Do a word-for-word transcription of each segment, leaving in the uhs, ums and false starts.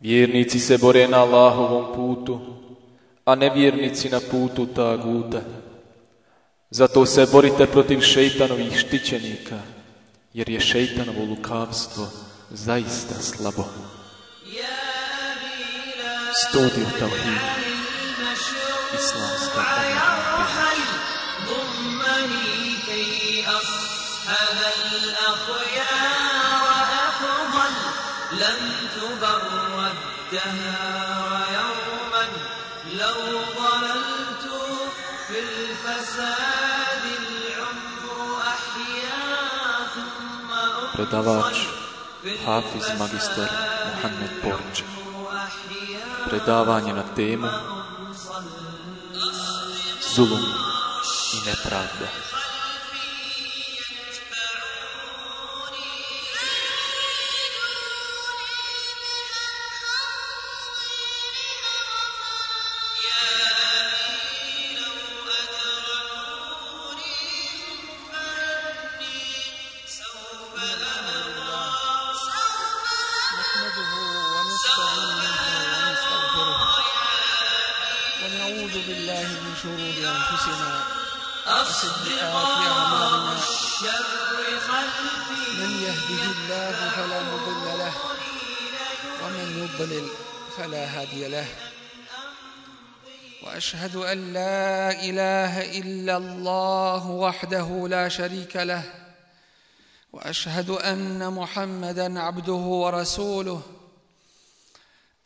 Vjernici se bore na Allahovom putu, a nevjernici na putu taguta. Zato se borite protiv šejtanovih štićenika, jer je šejtanovo lukavstvo zaista slabo. Studio Tauhid, Islamska الدهر يوما لو ضللت في الفساد العمر أحيا ثم Predavač Hafiz Magistar Muhammed Borđe. Predavanje na temu Zulum i nepravda. فلا هادي له وأشهد أن لا إله إلا الله وحده لا شريك له وأشهد أن محمدا عبده ورسوله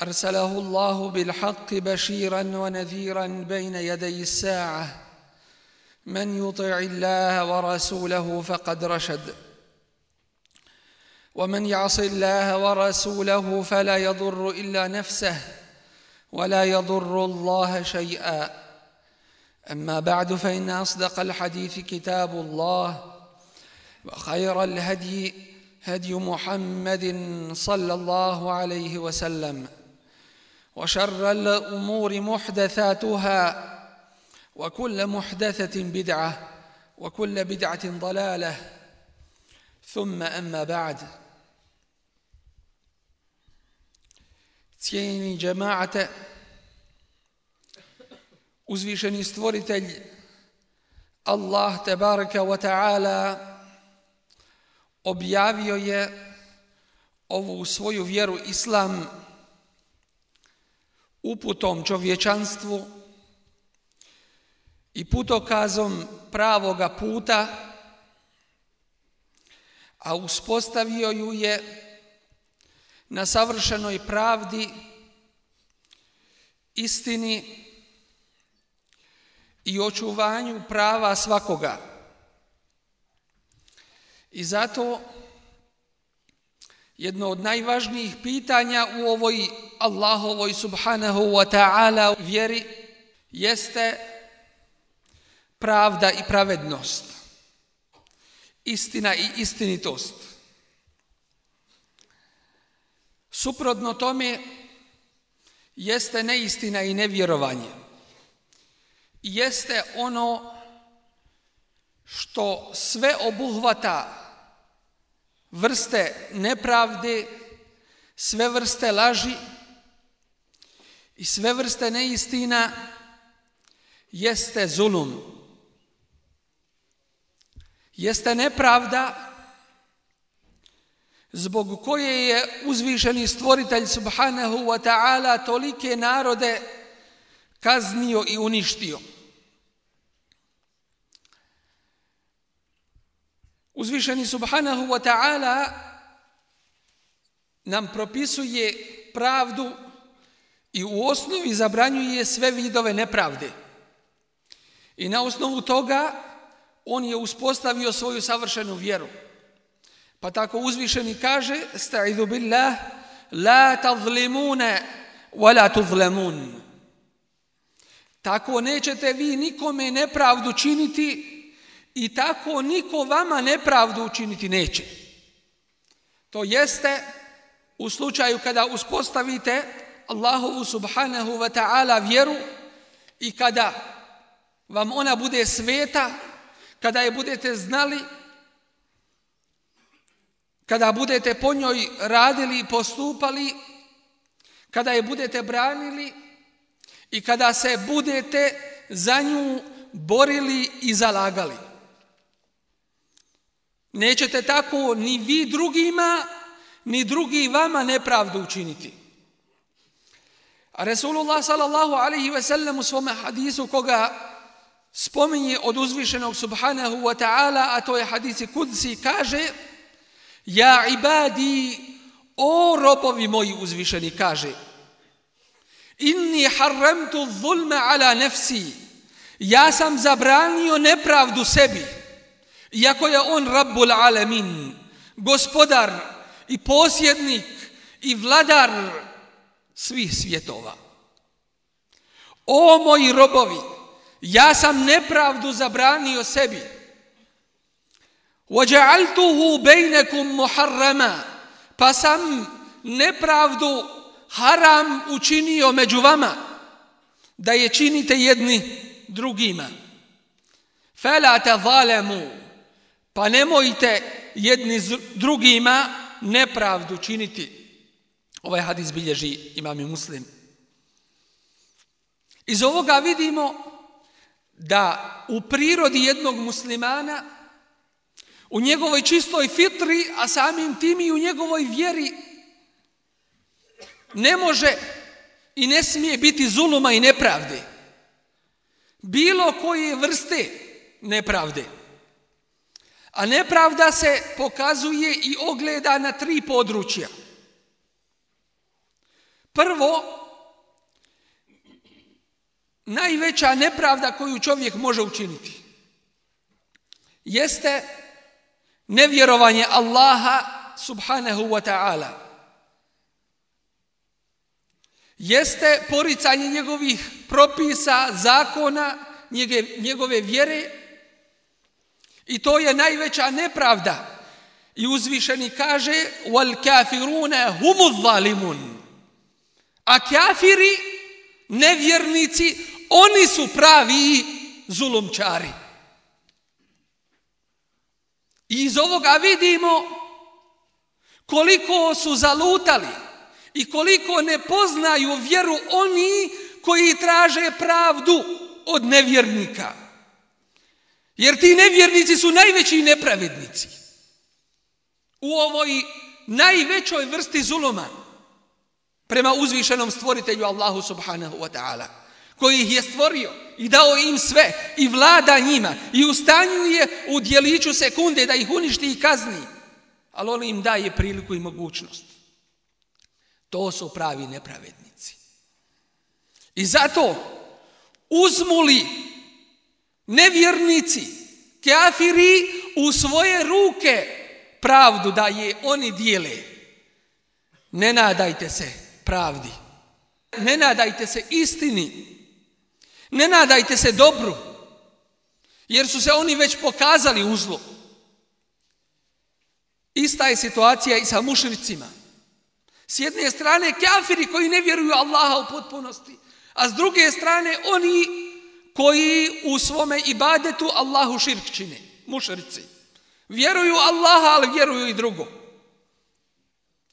أرسله الله بالحق بشيرا ونذيرا بين يدي الساعة من يطع الله ورسوله فقد رشد ومن يعص الله ورسوله فلا يضر إلا نفسه ولا يضر الله شيئا أما بعد فإن أصدق الحديث كتاب الله وخير الهدي هدي محمد صلى الله عليه وسلم وشر الأمور محدثاتها وكل محدثة بدعة وكل بدعة ضلالة ثم أما بعد. Cijenjeni džemaate, uzvišeni stvoritelj Allah tebaraka wa ta'ala objavio je ovu svoju vjeru Islam uputom čovječanstvu i putokazom pravoga puta, a uspostavio ju je na savršenoj pravdi, istini i očuvanju prava svakoga. I zato jedno od najvažnijih pitanja u ovoj Allahovoj subhanahu wa ta'ala vjeri jeste pravda i pravednost, istina i istinitost. Suprotno tome jeste neistina i nevjerovanje. Jeste ono što sve obuhvata vrste nepravde, sve vrste laži i sve vrste neistina, jeste zulum. Jeste nepravda zbog koje je uzvišeni stvoritelj subhanahu wa ta'ala tolike narode kaznio i uništio. Uzvišeni subhanahu wa ta'ala nam propisuje pravdu i u osnovi zabranjuje sve vidove nepravde. I na osnovu toga on je uspostavio svoju savršenu vjeru. Pa tako uzvišeni kaže: "Sta'idhu billah, la tazlimuna wa la tuzlamun." Tako nećete vi nikome nepravdu činiti i tako niko vama nepravdu učiniti neće. To jeste u slučaju kada uspostavite Allahovu subhanahu wa ta'ala vjeru i kada vam ona bude sveta, kada je budete znali, kada budete po njoj radili i postupali, kada je budete branili i kada se budete za nju borili i zalagali. Nećete tako ni vi drugima, ni drugi vama nepravdu učiniti. A Resulullah sallallahu alaihi ve sellem u svome hadisu koga spominje od uzvišenog subhanahu wa ta'ala, a to je hadisi kudsi, kaže: Ja ibadi, o robovi moji, uzvišeni kaže: Inni harramtu zulma ala nafsi, ja sam zabranio nepravdu sebi, iako je on Rabbul alamin, gospodar i posjednik i vladar svih svjetova. O moji robovi, ja sam nepravdu zabranio sebi. وَجَعَلْتُهُ بَيْنَكُمْ مُحَرَّمًا, pa sam nepravdu haram učinio među vama, da je činite jedni drugima. فَلَا تَظَالَمُوا, pa nemojte jedni drugima nepravdu činiti. Ovaj hadis bilježi Imam Muslim. Iz ovoga vidimo da u prirodi jednog muslimana, u njegovoj čistoj fitri, a samim tim i u njegovoj vjeri, ne može i ne smije biti zuluma i nepravde. Bilo koje vrste nepravde. A nepravda se pokazuje i ogleda na tri područja. Prvo, najveća nepravda koju čovjek može učiniti jeste nevjerovanje Allaha subhanahu wa ta'ala. Jeste poricanje njegovih propisa, zakona, njegove vjere, i to je najveća nepravda. I uzvišeni kaže: wal kafiruna humuz zalimun. A kafiri, nevjernici, oni su pravi zulumčari. I iz ovoga vidimo koliko su zalutali i koliko ne poznaju vjeru oni koji traže pravdu od nevjernika. Jer ti nevjernici su najveći nepravednici u ovoj najvećoj vrsti zuluma prema uzvišenom stvoritelju Allahu subhanahu wa ta'ala, koji ih je stvorio i dao im sve i vlada njima i u stanju je u djeliću sekunde da ih uništi i kazni, ali on im daje priliku i mogućnost. To su pravi nepravednici. I zato uzmu li nevjernici, kafiri, u svoje ruke pravdu da je oni dijele, ne nadajte se pravdi, ne nadajte se istini, ne nadajte se dobru, jer su se oni već pokazali u zlu. Ista je situacija i sa mušricima. S jedne strane kafiri koji ne vjeruju Allaha u potpunosti, a s druge strane oni koji u svome ibadetu Allahu širk čine, mušrici. Vjeruju Allaha, ali vjeruju i drugo.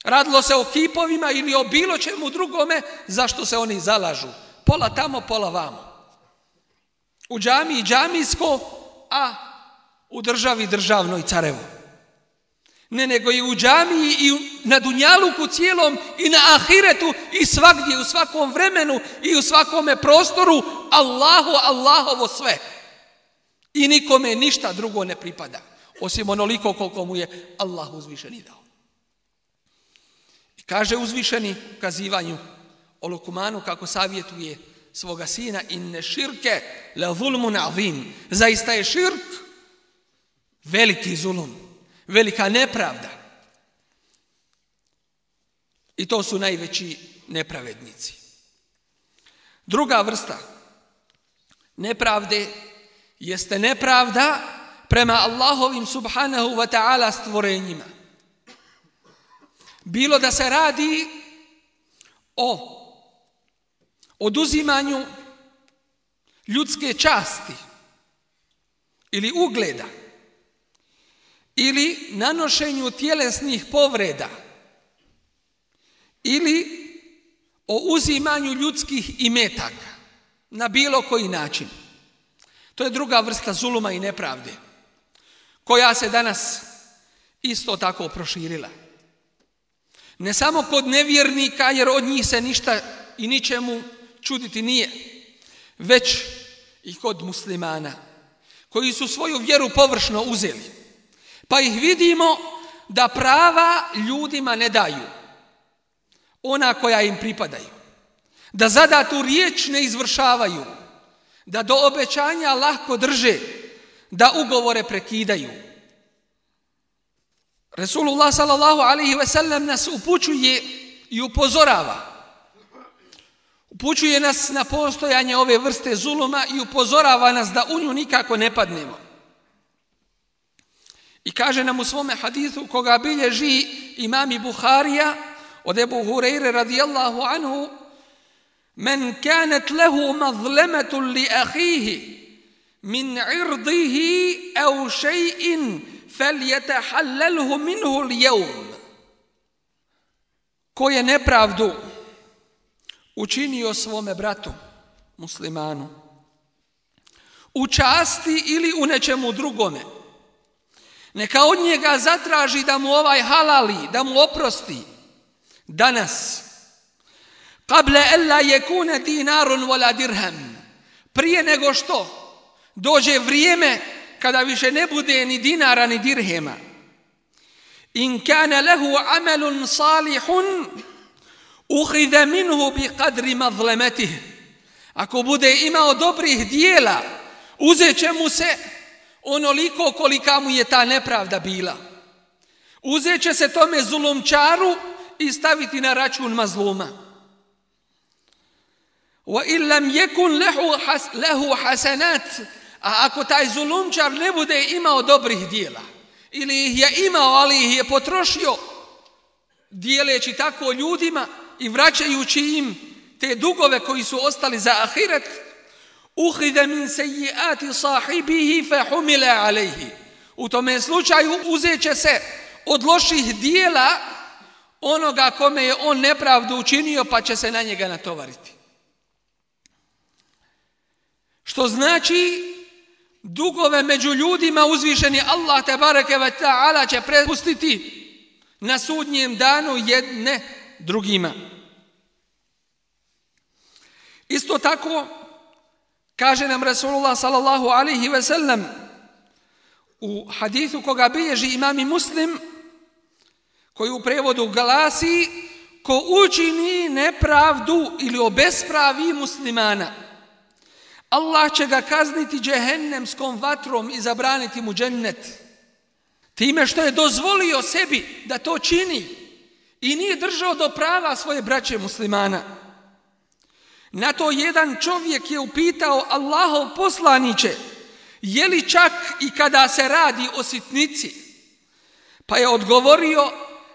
Radilo se o kipovima ili o bilo čemu drugome, zašto se oni zalažu. Pola tamo, pola vamo. U džamiji džamijsko, a u državi državno i carevo. Ne, nego i u džamiji i na dunjaluku cijelom i na ahiretu i svagdje, u svakom vremenu i u svakome prostoru, Allahu, Allahovo sve. I nikome ništa drugo ne pripada, osim onoliko koliko mu je Allah uzvišeni dao. I kaže uzvišeni u kazivanju o Lukmanu kako savjetuje svoga sina: inne širke la zulmun azim. Zaista je širk veliki zulum, velika nepravda. I to su najveći nepravednici. Druga vrsta nepravde jeste nepravda prema Allahovim subhanahu wa ta'ala stvorenjima. Bilo da se radi o oduzimanju ljudske časti ili ugleda, ili nanošenju tjelesnih povreda, ili o uzimanju ljudskih imetaka na bilo koji način. To je druga vrsta zuluma i nepravde, koja se danas isto tako proširila. Ne samo kod nevjernika, jer od njih se ništa i ničemu čuditi nije, već i kod muslimana, koji su svoju vjeru površno uzeli, pa ih vidimo da prava ljudima ne daju, ona koja im pripadaju, da zadatu riječ ne izvršavaju, da do obećanja lahko drže, da ugovore prekidaju. Resulullah sallallahu alaihi ve sellem nas upućuje i upozorava. Upućuje nas na postojanje ove vrste zuluma i upozorava nas da u nju nikako ne padnemo. I kaže nam u svome hadithu koga bilježi imam Buharija od Ebu Hureyre radijallahu anhu: Men kanat lehu mazlemetun li ahihi min irdihi au še'in فَلْيَتَحَلَّلْهُ مِنْهُ الْيَوْمِ. Ko je nepravdu učinio svome bratu muslimanu u časti ili u nečemu drugome, neka od njega zatraži da mu ovaj halali, da mu oprosti danas. قَبْلَ أَلَّا يَكُونَ دِينَارٌ وَلَا دِرْهَمٌ. Prije nego što dođe vrijeme kada više ne bude ni dinara ni dirhema. In kana lahu amalun salihun ukhidha minhu biqadri mazlamatihi. Ako bude imao dobrih dijela, uzet će mu se onoliko kolika mu je ta nepravda bila. Uzet će se tome zulumčaru i staviti na račun mazluma. Wa in lam yakun lahu lahu hasanat. A ako taj zulumčar ne bude imao dobrih dijela, ili ih je imao, ali ih je potrošio, dijeleći tako ljudima i vraćajući im te dugove koji su ostali za ahiret, uhide min sejjiati sahibihi fe humile alejhi. U tome slučaju uzet će se od loših dijela onoga kome je on nepravdu učinio, pa će se na njega natovariti. Što znači, dugove među ljudima uzvišeni Allah tebareke ve ta'ala će prepustiti na sudnjem danu jedne drugima. Isto tako kaže nam Resulullah sallallahu alaihi ve sellem u hadithu koga bilježi imam Muslim, koji u prevodu glasi: ko učini nepravdu ili obespravi muslimana, Allah će ga kazniti džehennemskom vatrom i zabraniti mu džennet. Time što je dozvolio sebi da to čini i nije držao do prava svoje braće muslimana. Na to jedan čovjek je upitao: Allahov poslaniće, je li čak i kada se radi o sitnici? Pa je odgovorio: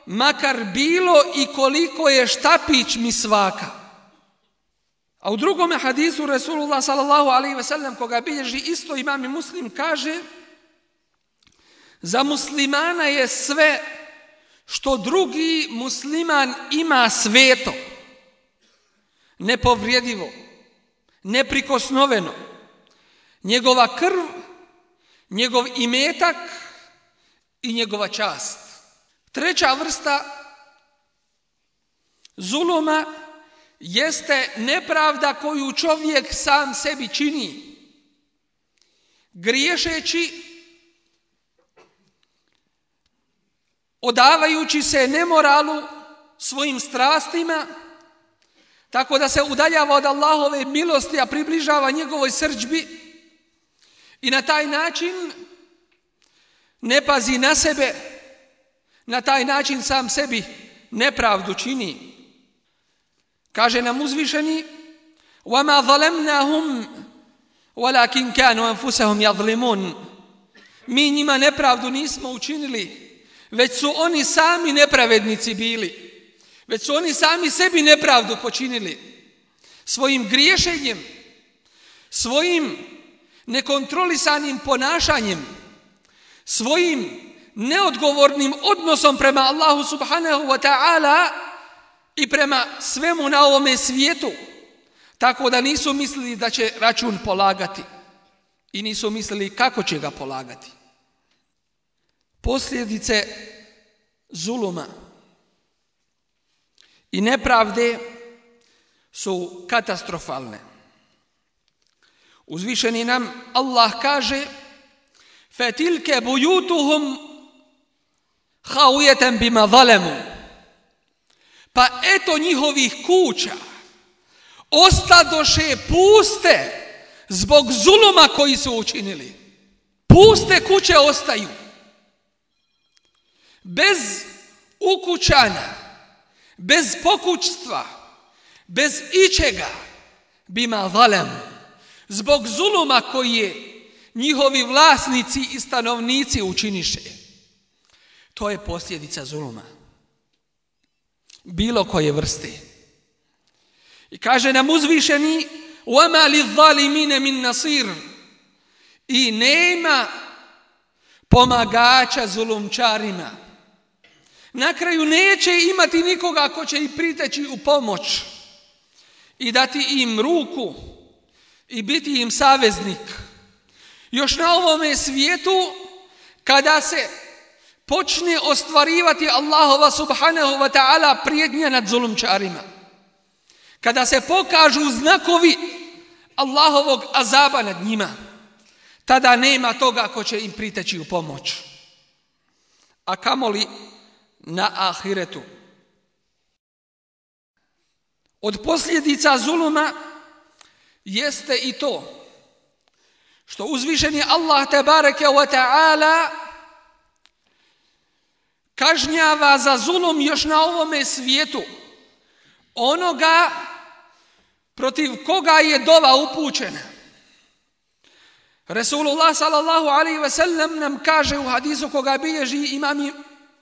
makar bilo i koliko je štapić misvaka. A u drugome hadisu Resulullah sallallahu alaihi ve sellem, koga bilježi isto imam Muslim, kaže: za muslimana je sve što drugi musliman ima sveto, nepovrijedivo, neprikosnoveno, njegova krv, njegov imetak i njegova čast. Treća vrsta zuluma jeste nepravda koju čovjek sam sebi čini, griješeći, odavajući se nemoralu, svojim strastima, tako da se udaljava od Allahove milosti, a približava njegovoj srdžbi, i na taj način ne pazi na sebe, na taj način sam sebi nepravdu čini. Kaže nam uzvišeni: وَمَا ظَلَمْنَاهُمْ وَلَكِنْ كَانُوا أَنفُسَهُمْ يَظْلِمُونَ. Mi njima nepravdu nismo učinili, već su oni sami nepravednici bili. Već su oni sami sebi nepravdu počinili. Svojim griješenjem, svojim nekontrolisanim ponašanjem, svojim neodgovornim odnosom prema Allahu subhanahu wa ta'ala i prema svemu na ovome svijetu, tako da nisu mislili da će račun polagati i nisu mislili kako će ga polagati. Posljedice zuluma i nepravde su katastrofalne. Uzvišeni nam Allah kaže: فَتِلْكَ بُيُوتُهُمْ خَاوِيَةً بِمَا ظَلَمُوا. Pa eto njihovih kuća ostadoše puste zbog zuluma koji su učinili. Puste kuće ostaju. Bez ukućanja, bez pokućstva, bez ičega, bima zalem, zbog zuluma koji je njihovi vlasnici i stanovnici učiniše. To je posljedica zuluma, bilo koje vrste. I kaže nam uzvišeni: وَمَا لِلظَّالِمِينَ مِنْ نَصِيرٍ. I nema pomagača zulumčarima. Na kraju neće imati nikoga ko će im priteći u pomoć i dati im ruku i biti im saveznik. Još na ovome svijetu, kada se počne ostvarivati Allahova subhanahu wa ta'ala prijetnja nad zulumčarima, kada se pokažu znakovi Allahovog azaba nad njima, tada nema toga ko će im priteći u pomoć. A kamoli na ahiretu. Od posljedica zuluma jeste i to što uzvišeni Allah tebareke wa ta'ala kažnjava za zulum još na ovome svijetu onoga protiv koga je dova upućena. Resulullah sallallahu alaihi ve sellem nam kaže u hadisu koga bilježi imami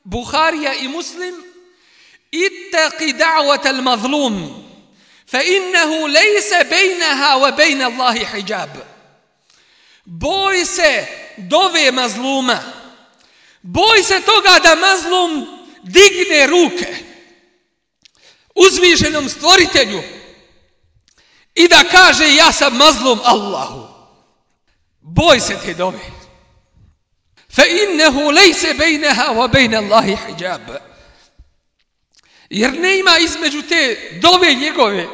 Buharija i Muslim: ittaqi da'wata al-mazlum fa innahu laysa bainaha wa bain Allahi hijab. Boj se dove mazluma. Boj se toga da mazlum digne ruke uzvišenom stvoritelju i da kaže: ja sam mazlum Allahu. Boj se te dove. Fa innahu laysa bainaha wa bain Allahi hijab. Jer nema između te dove njegove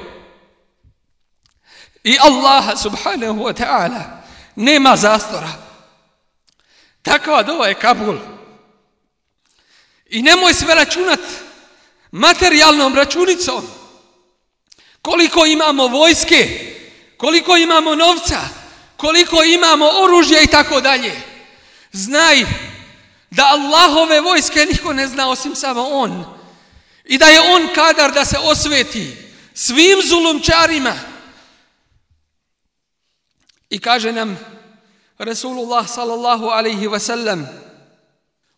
i Allaha subhanahu wa ta'ala nema zastora. Takva dova je kabul. I nemoj sve računat materijalnom računicom. Koliko imamo vojske, koliko imamo novca, koliko imamo oružja i tako dalje. Znaj da Allahove vojske niko ne zna osim samo on. I da je on kadar da se osveti svim zulumčarima. I kaže nam Resulullah sallallahu alaihi wa sallam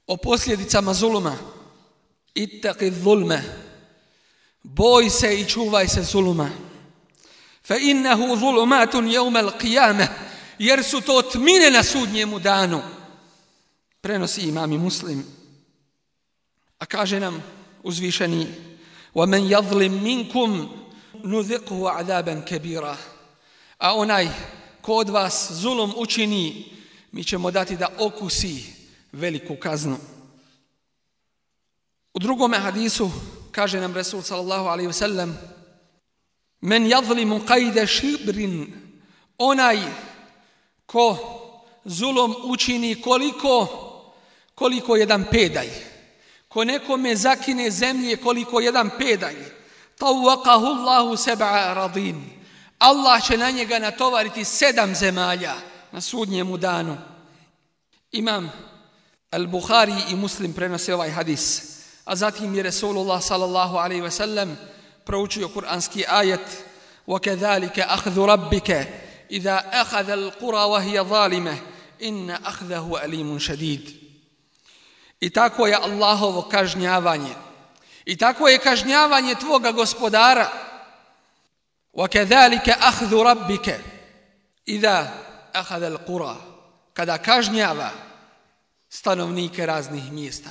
o posljedicama zuluma: ittaqi zulme, boj se i čuvaj se zuluma. Fa innahu zulumatun yawm al-qiyamah, jer su to tmine na sudnjemu danu. Prenosi imam i Muslim. A kaže nam uzvišeni: وَمَنْ يَظْلِمْ مِنْكُمْ نُذِقْهُ عَذَابًا كَبِيرًا. A onaj ko od vas zulum učini, mi ćemo dati da okusi veliku kaznu. U drugome hadisu kaže nam Resul sallallahu alaihi wa sallam: men yadlimu qajde šibrin, onaj ko zulum učini koliko, koliko jedan pedalj, ko nekome zakine zemlje koliko jedan pedalj, tawaqahu Allahu seb'a radin, Allah će na njega natovariti sedam zemalja na sudnjemu danu. Imam Al-Bukhari i Muslim prenose ovaj hadis. A zatim je Resulullah sallallahu alaihi wa sallam proučio kuranski ajet: وَكَذَلِكَ أَخْذُ رَبِّكَ إِذَا أَخَذَ الْقُرَى وَهِيَ ظَالِمَةٌ إِنَّ أَخْذَهُ أَلِيمٌ شَدِيدٌ. I tako je Allahovo kažnjavanje. I tako je kažnjavanje tvoga gospodara. وَكَذَلِكَ أَخْذُ رَبِّكَ إِذَا أَخَذَ الْقُرَى, kada kažnjava stanovnike raznih mjesta.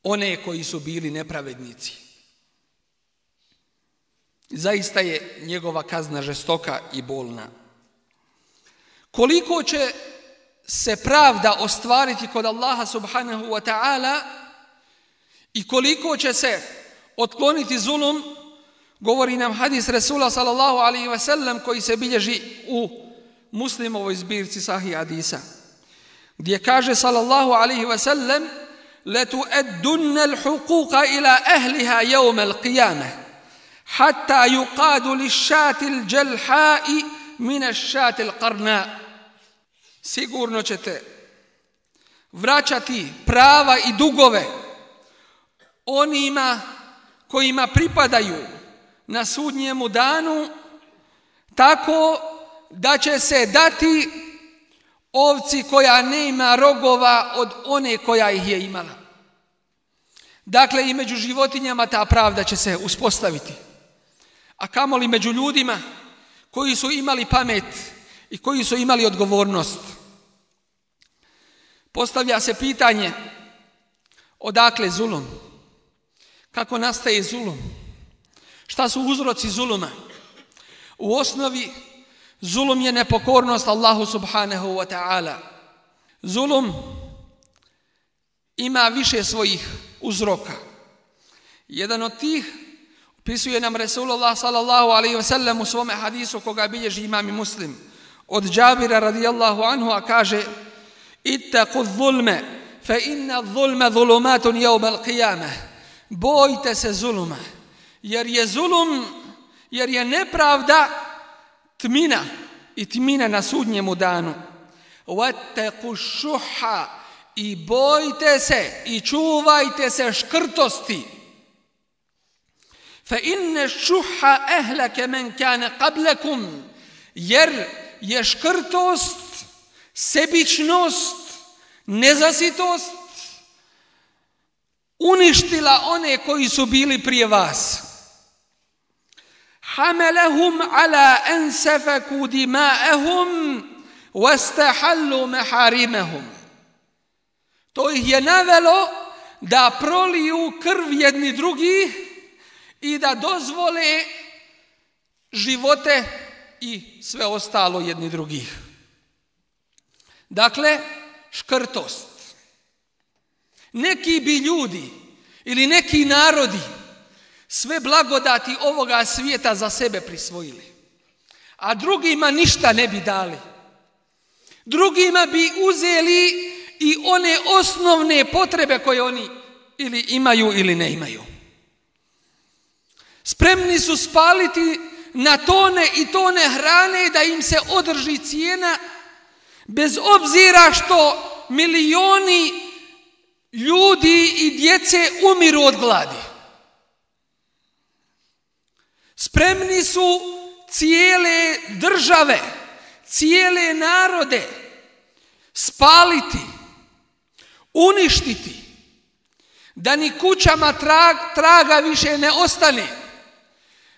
one koji su bili nepravednici. Zaista je njegova kazna žestoka i bolna. Koliko će se pravda ostvariti kod Allaha subhanahu wa ta'ala i koliko će se otkloniti zulum, govori nam hadis Resula sallallahu alaihi wa sallam koji se bilježi u Muslimovoj zbirci Sahih hadisa, gdje kaže sallallahu alaihi wa sallam: لَتُؤَدُّنَّ الْحُقُوقَ إِلَى أَهْلِهَا يَوْمَ الْقِيَامَةِ حَتَّى يُقَادُ لِلشَّاةِ الْجَلْحَاءِ مِنَ الشَّاةِ الْقَرْنَاءِ. Sigurno ćete vraćati prava i dugove onima kojima pripadaju na sudnjemu danu, tako da će se dati ovci koja ne ima rogova od one koja ih je imala. Dakle, i među životinjama ta pravda će se uspostaviti. A kamoli među ljudima koji su imali pamet i koji su imali odgovornost. Postavlja se pitanje, odakle zulum? Kako nastaje zulum? Šta su uzroci zuluma? U osnovi, zulum je nepokornost Allahu subhanahu wa ta'ala. Zulum ima više svojih uzroka. Jedan od tih opisuje nam Resulullah sallallahu alaihi wa sallam u svome hadisu koga bilježi imam i Muslim od Džabira radijallahu anhu, a kaže: ittaqu zulme fa inna zulme zulumatun yawm al-qiyamah. Bojte se zuluma, jer je zulum, jer je nepravda tmina i tmina na sudnjemu danu. Wattaqu šuha, i bojte se i čuvajte se škrtosti. Fa inna šuha ahlaka man kana qablakum, jer je škrtost, sebičnost, nezasitost uništila one koji su bili prije vas. Hamalahum ala an safaku dima'ahum wastahallu maharimahum. To ih je navelo da proliju krv jedni drugih i da dozvole živote i sve ostalo jedni drugih. Dakle, škrtost. Neki bi ljudi ili neki narodi sve blagodati ovoga svijeta za sebe prisvojili, a drugima ništa ne bi dali. Drugima bi uzeli i one osnovne potrebe koje oni ili imaju ili ne imaju. Spremni su spaliti na tone i tone hrane da im se održi cijena, bez obzira što milioni ljudi i djece umiru od gladi. Spremni su cijele države, cijele narode spaliti, uništiti, da ni kućama trag, traga više ne ostane,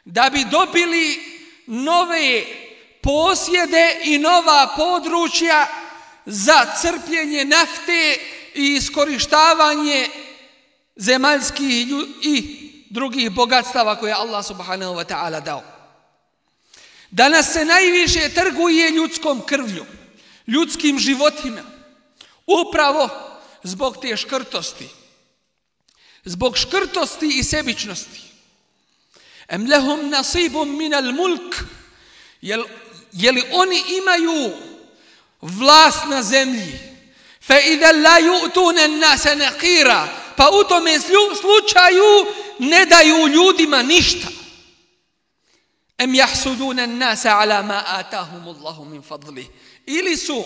da bi dobili nove posjede i nova područja za crpljenje nafte i iskorištavanje zemaljskih i drugih bogatstava koje Allah subhanahu wa ta'ala dao. Danas se najviše trguje ljudskom krvlju, ljudskim životima, upravo zbog te škrtosti, zbog škrtosti i sebičnosti. Em lehum nasibum minal mulk, jel, jeli oni imaju vlast na zemlji, fa idha la yu'tuna an-nasa naqira, pa u tome slučaju ne daju ljudima ništa. Em yahsuduna an-nasa ala ma atahum Allahu min fadli, ili su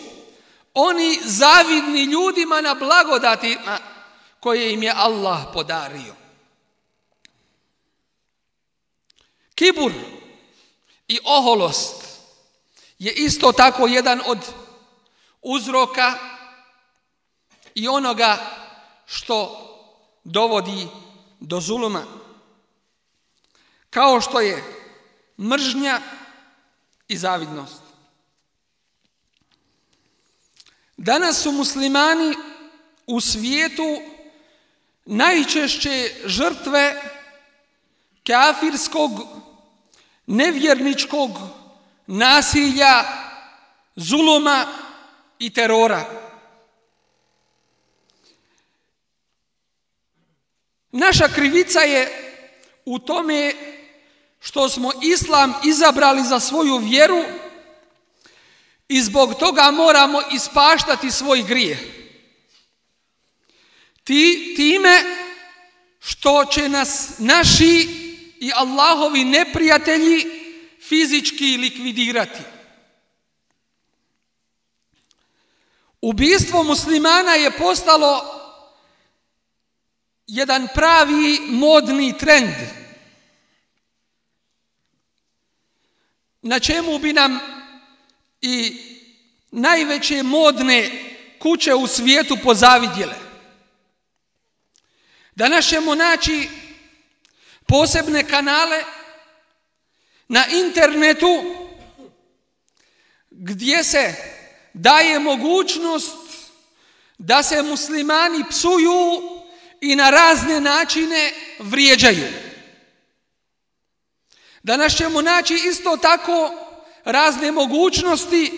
oni zavidni ljudima na blagodatima koje im je Allah podario. Kibur i oholost je isto tako jedan od uzroka i onoga što dovodi do zuluma. Kao što je mržnja i zavidnost. Danas su muslimani u svijetu najčešće žrtve kafirskog, nevjerničkog nasilja, zuluma i terora. Naša krivica je u tome što smo islam izabrali za svoju vjeru i zbog toga moramo ispaštati svoj grijeh. Ti, time što će nas naši i Allahovi neprijatelji fizički likvidirati. Ubistvo muslimana je postalo jedan pravi modni trend, na čemu bi nam i najveće modne kuće u svijetu pozavidjele. Danas ćemo naći posebne kanale na internetu gdje se daje mogućnost da se muslimani psuju i na razne načine vrijeđaju. Danas ćemo naći isto tako razne mogućnosti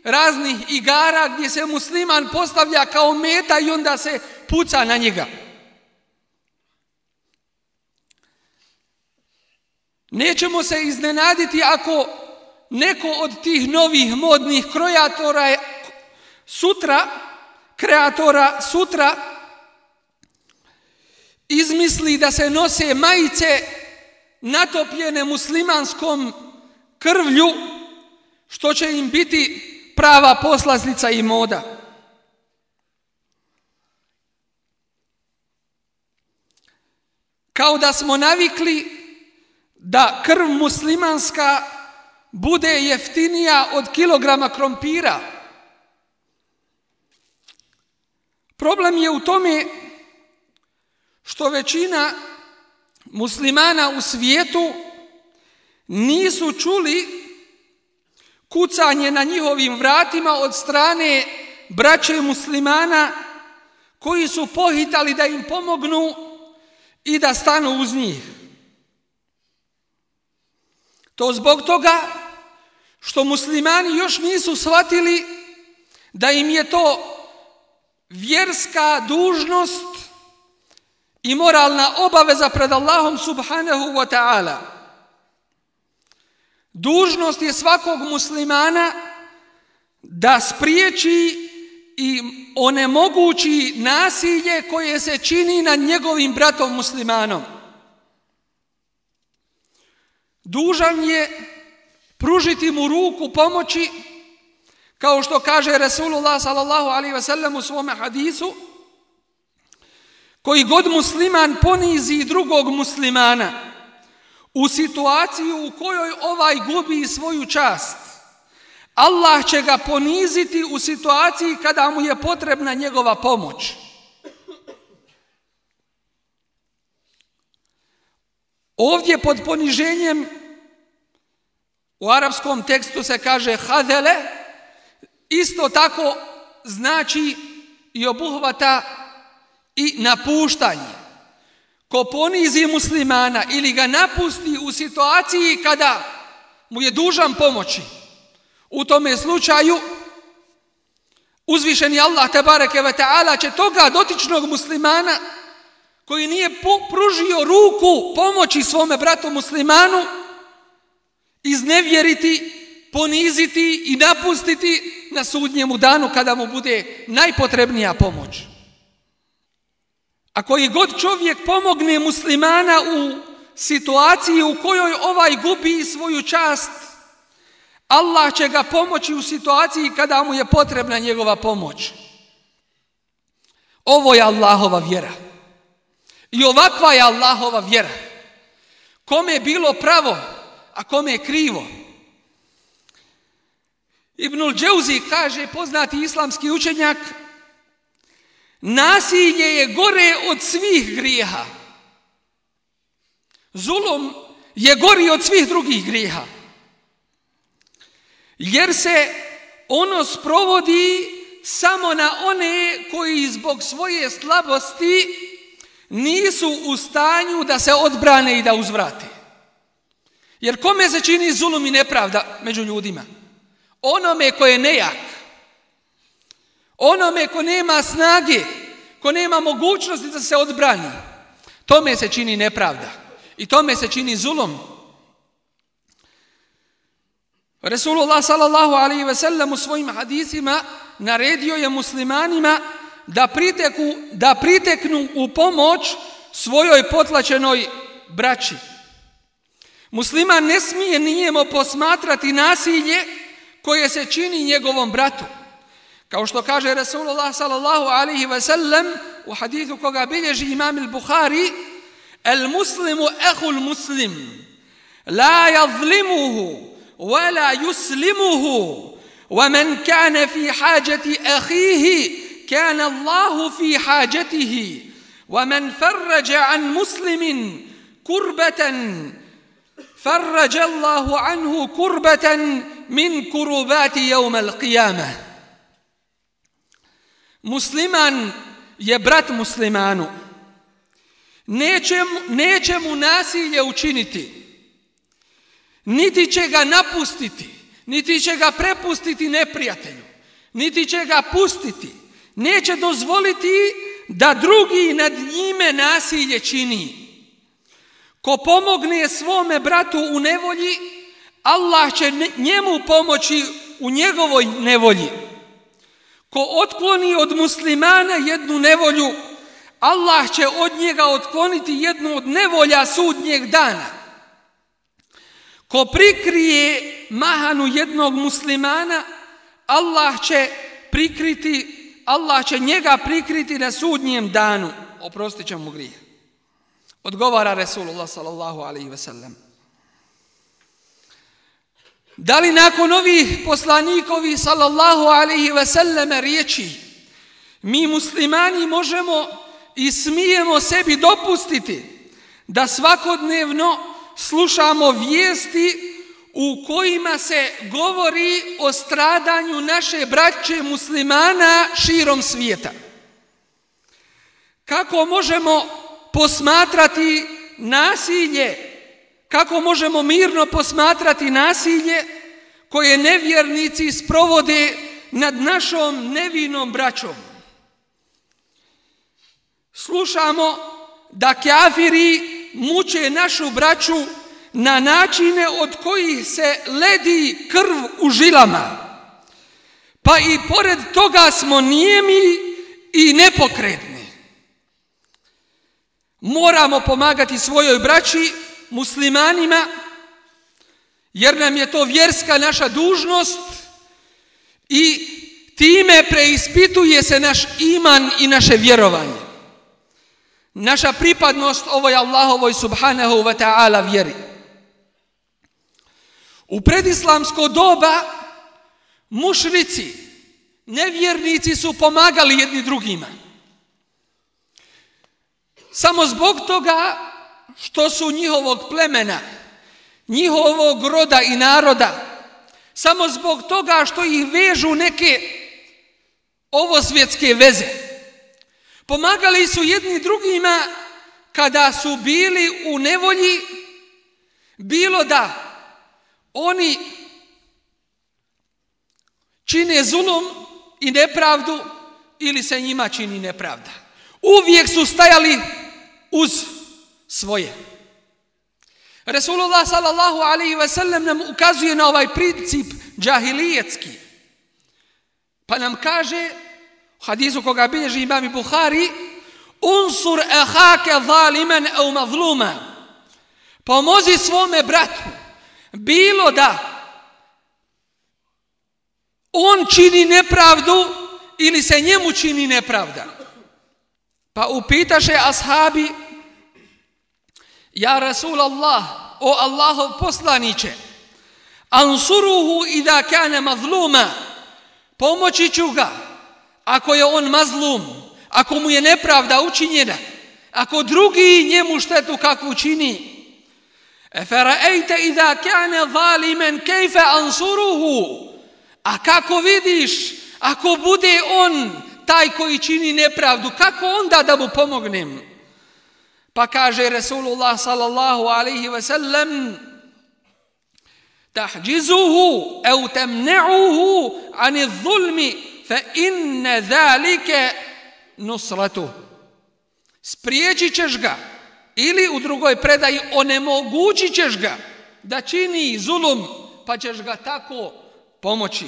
raznih igara gdje se musliman postavlja kao meta i onda se puca na njega. Nećemo se iznenaditi ako neko od tih novih modnih kreatora sutra, kreatora sutra izmisli da se nose majice natopljene muslimanskom krvlju, što će im biti prava poslastica i moda. Kao da smo navikli da krv muslimanska bude jeftinija od kilograma krompira. Problem je u tome što većina muslimana u svijetu nisu čuli kucanje na njihovim vratima od strane braće muslimana koji su pohitali da im pomognu i da stanu uz njih. To zbog toga što muslimani još nisu shvatili da im je to vjerska dužnost i moralna obaveza pred Allahom subhanahu wa ta'ala. Dužnost je svakog muslimana da spriječi i onemogući nasilje koje se čini nad njegovim bratom muslimanom. Dužan je pružiti mu ruku pomoći, kao što kaže Rasulullah sallallahu alaihi ve sellem u svome hadisu: koji god musliman ponizi drugog muslimana u situaciju u kojoj ovaj gubi svoju čast, Allah će ga poniziti u situaciji kada mu je potrebna njegova pomoć. Ovdje pod poniženjem u arapskom tekstu se kaže hadele, isto tako znači i obuhvata i napuštanje. Ko ponizi muslimana ili ga napusti u situaciji kada mu je dužan pomoći, u tome slučaju uzvišeni Allah tebareke ve taala će toga dotičnog muslimana koji nije pružio ruku pomoći svome bratu muslimanu iznevjeriti, poniziti i napustiti na sudnjemu danu kada mu bude najpotrebnija pomoć. A koji god čovjek pomogne muslimana u situaciji u kojoj ovaj gubi svoju čast, Allah će ga pomoći u situaciji kada mu je potrebna njegova pomoć. Ovo je Allahova vjera. I ovakva je Allahova vjera. Kome je bilo pravo, a kome je krivo. Ibnul Džauzi kaže, poznati islamski učenjak, nasilje je gore od svih grijeha. Zulum je gori od svih drugih grijeha. Jer se ono sprovodi samo na one koji zbog svoje slabosti nisu u stanju da se odbrane i da uzvrate. Jer kome se čini zulum i nepravda među ljudima? Onome ko je nejak. Onome ko nema snage, ko nema mogućnosti da se odbrani. Tome se čini nepravda. I tome se čini zulum. Resulullah sallallahu alaihi ve sellem u svojim hadisima naredio je muslimanima da priteku, da priteknu u pomoć svojoj potlačenoj braći. Musliman ne smije nijemo posmatrati nasilje koje se čini njegovom bratu. Kao što kaže Resulullah sallallahu alaihi ve sellem u hadisu koga bilježi imam al-Bukhari: "El muslimu ehul muslim, la yazlimuhu, wa la yuslimuhu, wa man kana fi hajati akhihi, kana Allahu fi hajatihi, wa man farraja an muslimin kurbatan, farraja Allahu anhu kurbatan min kurubati yawm al-qiyamah." Musliman je brat muslimanu. Neće, neće mu nasilje učiniti. Niti će ga napustiti. Niti će ga prepustiti neprijatelju. Niti će ga pustiti. Neće dozvoliti da drugi nad njime nasilje čini. Ko pomogne svome bratu u nevolji, Allah će njemu pomoći u njegovoj nevolji. Ko otkloni od muslimana jednu nevolju, Allah će od njega otkloniti jednu od nevolja sudnjeg dana. Ko prikrije mahanu jednog muslimana, Allah će prikriti, Allah će njega prikriti na sudnjem danu. Oprostit će mu grijeh. Odgovara Resulullah sallallahu alaihi ve sellem: da li nakon ovih poslanikovi sallallahu alaihi ve selleme riječi mi muslimani možemo i smijemo sebi dopustiti da svakodnevno slušamo vijesti u kojima se govori o stradanju naše braće muslimana širom svijeta? Kako možemo posmatrati nasilje, kako možemo mirno posmatrati nasilje koje nevjernici sprovode nad našom nevinom braćom? Slušamo da kafiri muče našu braću na načine od kojih se ledi krv u žilama. Pa i pored toga smo nijemi i nepokretni. Moramo pomagati svojoj braći, muslimanima, jer nam je to vjerska naša dužnost i time preispituje se naš iman i naše vjerovanje. Naša pripadnost ovoj Allahovoj subhanahu wa ta'ala vjeri. U predislamsko doba mušrici, nevjernici su pomagali jedni drugima. Samo zbog toga što su njihovog plemena, njihovog roda i naroda, samo zbog toga što ih vežu neke ovosvjetske veze. Pomagali su jedni drugima kada su bili u nevolji, bilo da oni čine zulum i nepravdu ili se njima čini nepravda. Uvijek su stajali uz svoje. Resulullah sallallahu alaihi ve sellem nam ukazuje na ovaj princip džahilijetski. Pa nam kaže u hadisu koga bilježi imam Bukhari: unsur ahake zaliman au mazluma. Pomozi svome bratu, bilo da on čini nepravdu ili se njemu čini nepravda. Pa upitaše ashabi: ja Rasulallah, o Allahov poslaniće, ansuruhu idha kana mazluma, pomoći ću ga ako je on mazlum, ako mu je nepravda učinjena, ako drugi njemu štetu kakvu čini. Efara'ejte idha kana zaliman kejfe ansuruhu, a kako vidiš ako bude on taj koji čini nepravdu, kako onda da mu pomognem? Pa kaže Resulullah sallallahu alaihi wa sallam: tahđizuhu au temne'uhu ani zulmi fa inne zalike nusratu. Spriječit ćeš ga, ili u drugoj predaji onemogućit ćeš ga da čini zulum, pa ćeš ga tako pomoći.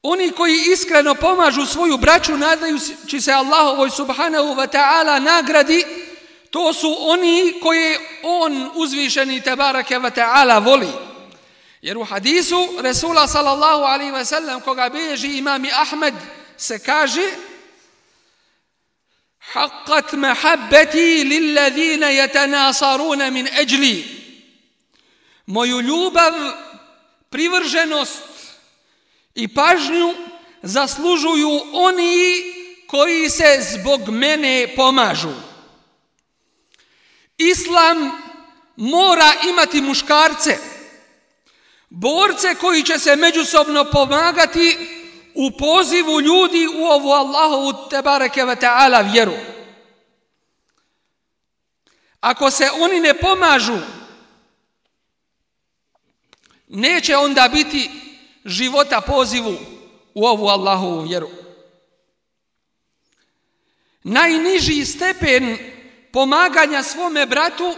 Oni koji iskreno pomažu svoju braću nadajući se Allahovoj subhanahu wa ta'ala nagradi, to su oni koje on uzvišeni tebareke wa ta'ala voli. Jer u hadisu Resula sallallahu alaihi wa sallam koga bilježi imami Ahmed se kaže: haqqat mahabbati lilladhina yatanasaruna min ajli. Moju ljubav, privrženost i pažnju zaslužuju oni koji se zbog mene pomažu. Islam mora imati muškarce, borce koji će se međusobno pomagati u pozivu ljudi u ovu Allahovu tebareke ve ta'ala vjeru. Ako se oni ne pomažu, neće onda biti života pozivu u ovu Allahovu vjeru. Najniži stepen pomaganja svome bratu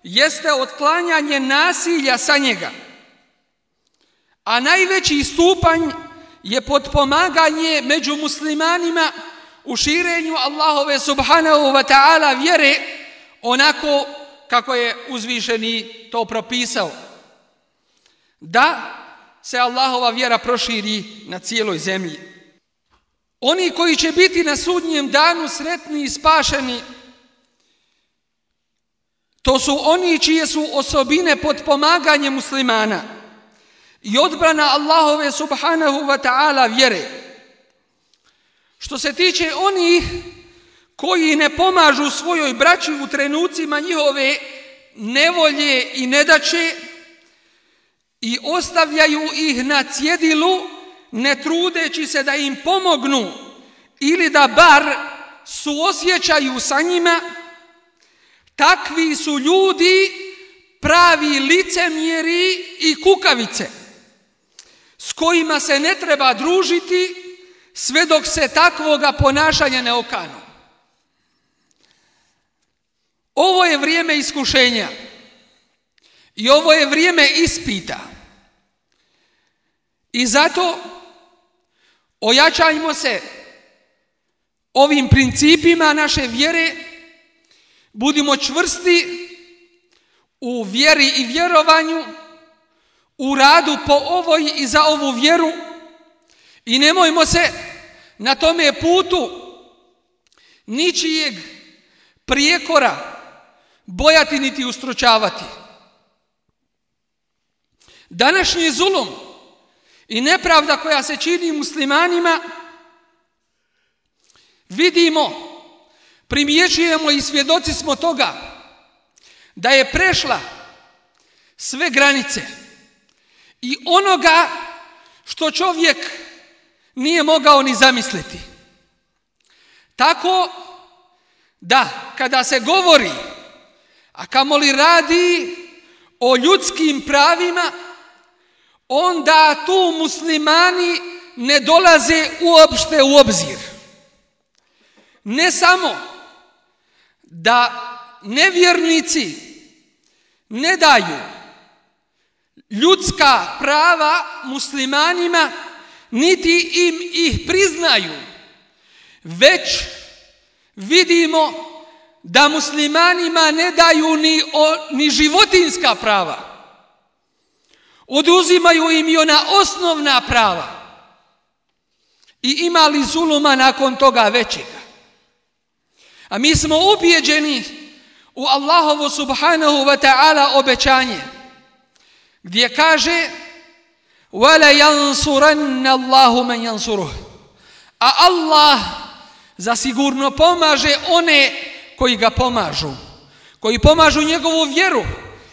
jeste otklanjanje nasilja sa njega, a najveći stupanj je potpomaganje među muslimanima u širenju Allahove subhanahu wa ta'ala vjere onako kako je uzvišeni to propisao, da se Allahova vjera proširi na cijeloj zemlji. Oni koji će biti na sudnjem danu sretni i spašeni, to su oni čije su osobine potpomaganje muslimana i odbrana Allahove subhanahu wa ta'ala vjere. Što se tiče onih koji ne pomažu svojoj braći u trenucima njihove nevolje i nedaće i ostavljaju ih na cjedilu, ne trudeći se da im pomognu ili da bar suosjećaju sa njima, takvi su ljudi pravi licemjeri i kukavice s kojima se ne treba družiti sve dok se takvoga ponašanja ne okanu. Ovo je vrijeme iskušenja i ovo je vrijeme ispita. I zato ojačajmo se ovim principima naše vjere, budimo čvrsti u vjeri i vjerovanju, u radu po ovoj i za ovu vjeru i nemojmo se na tome putu ničijeg prijekora bojati niti ustručavati. Današnji zulum i nepravda koja se čini muslimanima vidimo, primjećujemo i svjedoci smo toga da je prešla sve granice i onoga što čovjek nije mogao ni zamisliti. Tako da kada se govori, a kamoli radi o ljudskim pravima, onda tu muslimani ne dolaze uopšte u obzir. Ne samo da nevjernici ne daju ljudska prava muslimanima, niti im ih priznaju, već vidimo da muslimanima ne daju ni, o, ni životinska prava. Oduzimaju im i ona osnovna prava. I ima li zuluma nakon toga većega? A mi smo ubijeđeni u Allahovu subhanahu wa ta'ala obećanje, gdje kaže وَلَا يَنْصُرَنَّ اللَّهُ مَنْ يَنْصُرُهُ. A Allah zasigurno pomaže one koji ga pomažu, koji pomažu njegovu vjeru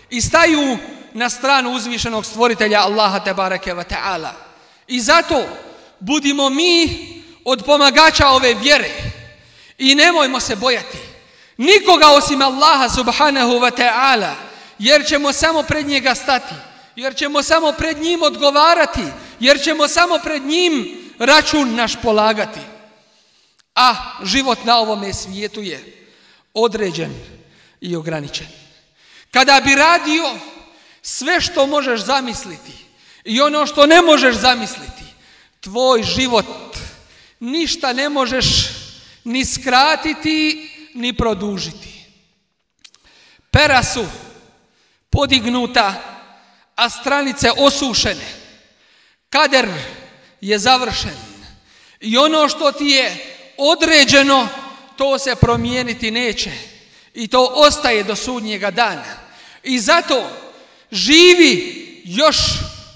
i staju na stranu uzvišenog stvoritelja Allaha tebareke ve ta'ala. I zato budimo mi od pomagača ove vjere i nemojmo se bojati. Nikoga osim Allaha subhanahu wa ta'ala, jer ćemo samo pred njega stati, jer ćemo samo pred njim odgovarati, jer ćemo samo pred njim račun naš polagati. A život na ovome svijetu je određen i ograničen. Kada bi radio sve što možeš zamisliti i ono što ne možeš zamisliti, tvoj život ništa ne možeš ni skratiti, ni produžiti. Pera su podignuta, a stranice osušene. Kader je završen. I ono što ti je određeno, to se promijeniti neće. I to ostaje do sudnjega dana. I zato živi još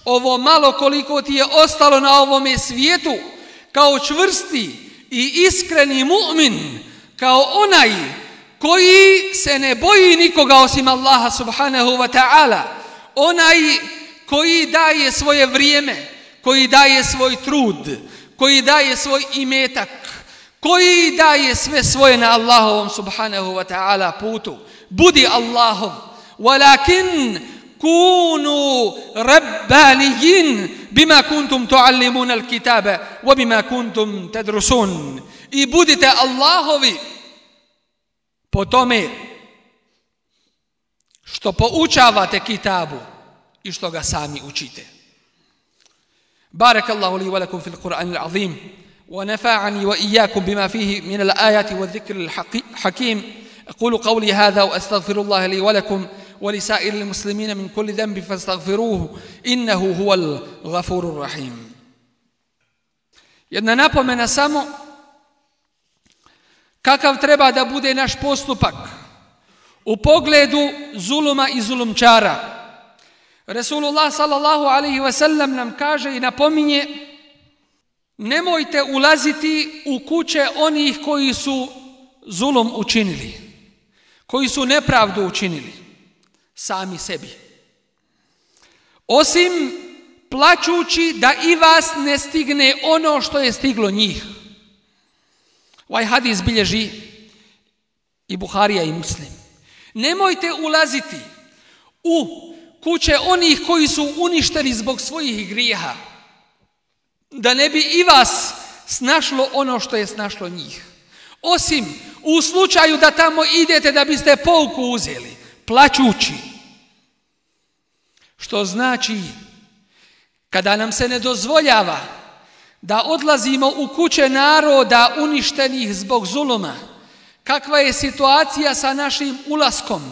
ovo malo koliko ti je ostalo na ovome svijetu kao čvrsti i iskreni mu'min, kao onaj koji se ne boji nikoga osim Allaha subhanahu wa ta'ala, onaj koji daje svoje vrijeme, koji daje svoj trud, koji daje svoj imetak, koji daje sve svoje na Allahovom subhanahu wa ta'ala putu. Budi Allahov, walakin kunu rabbanijin bima kuntum tuallimuna al-kitaba wa bima kuntum tadrusun. I budite Allahovi po tome što poučavate kitabu i što ga sami učite. Barakallahu li wa lakum fil Qur'anil azim wa nafa'ani wa iyyakum bima fihi min al-ayati wa dhikril hakim. أقول قولي هذا وأستغفر الله لي ولكم ولسائر المسلمين من كل ذنب فاستغفروه إنه هو الغفور الرحيم. Jedna napomena samo kakav treba da bude naš postupak u pogledu zuluma i zulumčara. Resulullah sallallahu alaihi wa sallam nam kaže i napominje: nemojte ulaziti u kuće onih koji su zulum učinili, koji su nepravdu učinili sami sebi, osim plačući da i vas ne stigne ono što je stiglo njih. Ovaj hadis bilježi i Buharija i Muslim. Nemojte ulaziti u kuće onih koji su uništeni zbog svojih grijeha, da ne bi i vas snašlo ono što je snašlo njih. Osim u slučaju da tamo idete da biste pouku uzeli, plačući. Što znači, kada nam se ne dozvoljava da odlazimo u kuće naroda uništenih zbog zuluma, kakva je situacija sa našim ulaskom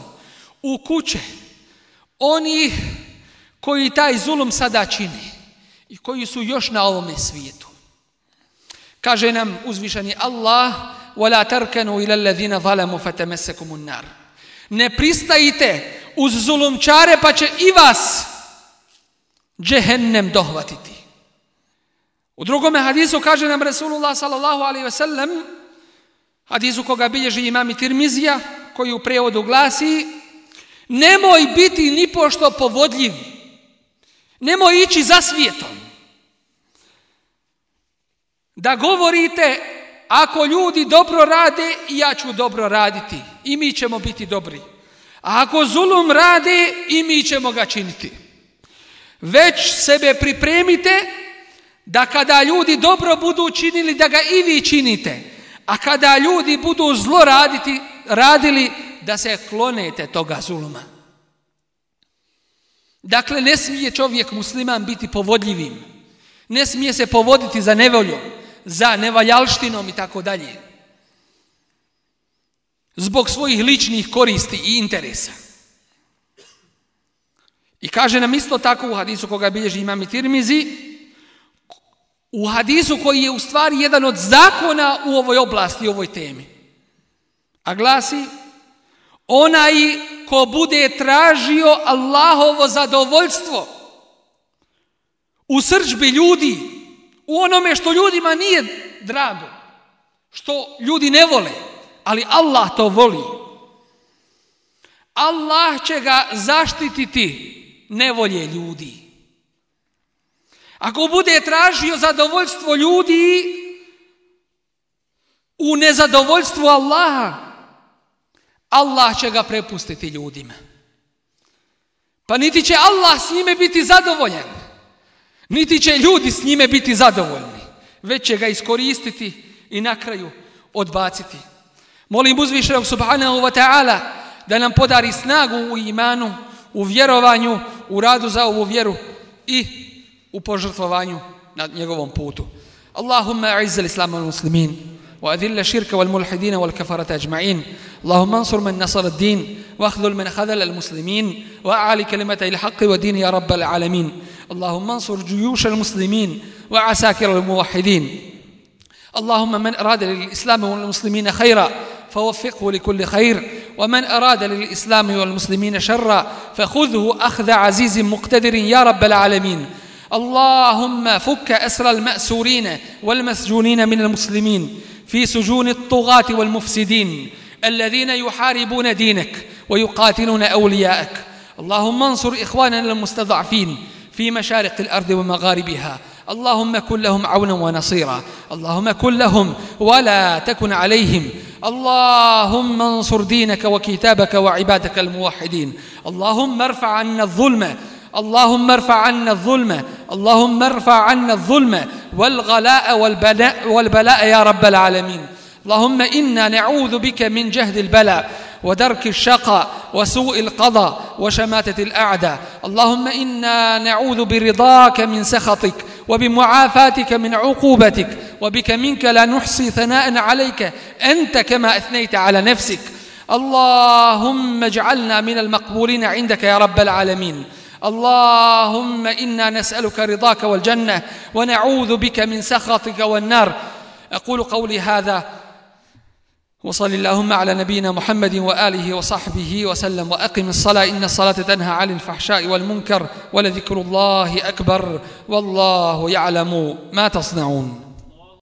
u kuće oni koji taj zulum sada čini i koji su još na ovome svijetu. Kaže nam uzvišeni Allah: وَلَا تَرْكَنُوا إِلَى الَّذِينَ ظَلَمُوا فَتَمَسَّكُمُ النَّارِ. Ne pristajite uz zulumčare pa će i vas džehennem dohvatiti. U drugome hadisu kaže nam Resulullah sallallahu alaihi ve sellem, hadisu koga bilježi imam Tirmizija, koji u prijevodu glasi: nemoj biti ni pošto povodljiv, nemoj ići za svijetom, da govorite: ako ljudi dobro rade, i ja ću dobro raditi i mi ćemo biti dobri. A ako zulum rade, i mi ćemo ga činiti. Već sebe pripremite da kada ljudi dobro budu činili, da ga i vi činite. A kada ljudi budu zlo raditi, radili, da se klonete toga zuluma. Dakle, ne smije čovjek musliman biti povodljivim. Ne smije se povoditi za nevoljom, za nevaljalštinom i tako dalje, zbog svojih ličnih koristi i interesa. I kaže nam isto tako u hadisu koga bilježi imam Tirmizi, u hadisu koji je u stvari jedan od zakona u ovoj oblasti, u ovoj temi, a glasi: onaj ko bude tražio Allahovo zadovoljstvo u srdžbi ljudi, u onome što ljudima nije drago, što ljudi ne vole, ali Allah to voli, Allah će ga zaštititi nevolje ljudi. Ako bude tražio zadovoljstvo ljudi u nezadovoljstvu Allaha, Allah će ga prepustiti ljudima. Pa niti će Allah s njime biti zadovoljan, niti će ljudi s njime biti zadovoljni, već će ga iskoristiti i na kraju odbaciti. Molim uzvišenog subhanahu wa ta'ala da nam podari snagu u imanu, u vjerovanju, u radu za ovu vjeru i u požrtvovanju na njegovom putu. Allahumma a'izz al-islam wal muslimin وأذل الشرك والملحدين والكفرة أجمعين. اللهم انصر من نصر الدين واخذل من خذل المسلمين وأعلي كلمة الحق والدين يا رب العالمين. اللهم انصر جيوش المسلمين وعساكر الموحدين. اللهم من أراد للإسلام والمسلمين خيرا فوفقه لكل خير، ومن أراد للإسلام والمسلمين شرا فخذه أخذ عزيز مقتدر يا رب العالمين. اللهم فك أسر المأسورين والمسجونين من المسلمين في سجون الطغاة والمفسدين الذين يحاربون دينك ويقاتلون أولياءك. اللهم انصر إخواننا المستضعفين في مشارق الأرض ومغاربها. اللهم كن لهم عونا ونصيرا. اللهم كن لهم ولا تكن عليهم. اللهم انصر دينك وكتابك وعبادك الموحدين. اللهم ارفع عنا الظلم اللهم ارفع عنا الظلم اللهم ارفع عنا الظلم والغلاء والبلاء والبلاء يا رب العالمين. اللهم إنا نعوذ بك من جهد البلاء ودرك الشقاء وسوء القضاء وشماتة الأعداء. اللهم إنا نعوذ برضاك من سخطك وبمعافاتك من عقوبتك، وبك منك لا نحصي ثناء عليك أنت كما أثنيت على نفسك. اللهم اجعلنا من المقبولين عندك يا رب العالمين. اللهم إنا نسألك رضاك والجنة ونعوذ بك من سخطك والنار. أقول قولي هذا وصل اللهم على نبينا محمد وآله وصحبه وسلم، وأقم الصلاة إن الصلاة تنهى عن الفحشاء والمنكر ولذكر الله أكبر والله يعلم ما تصنعون.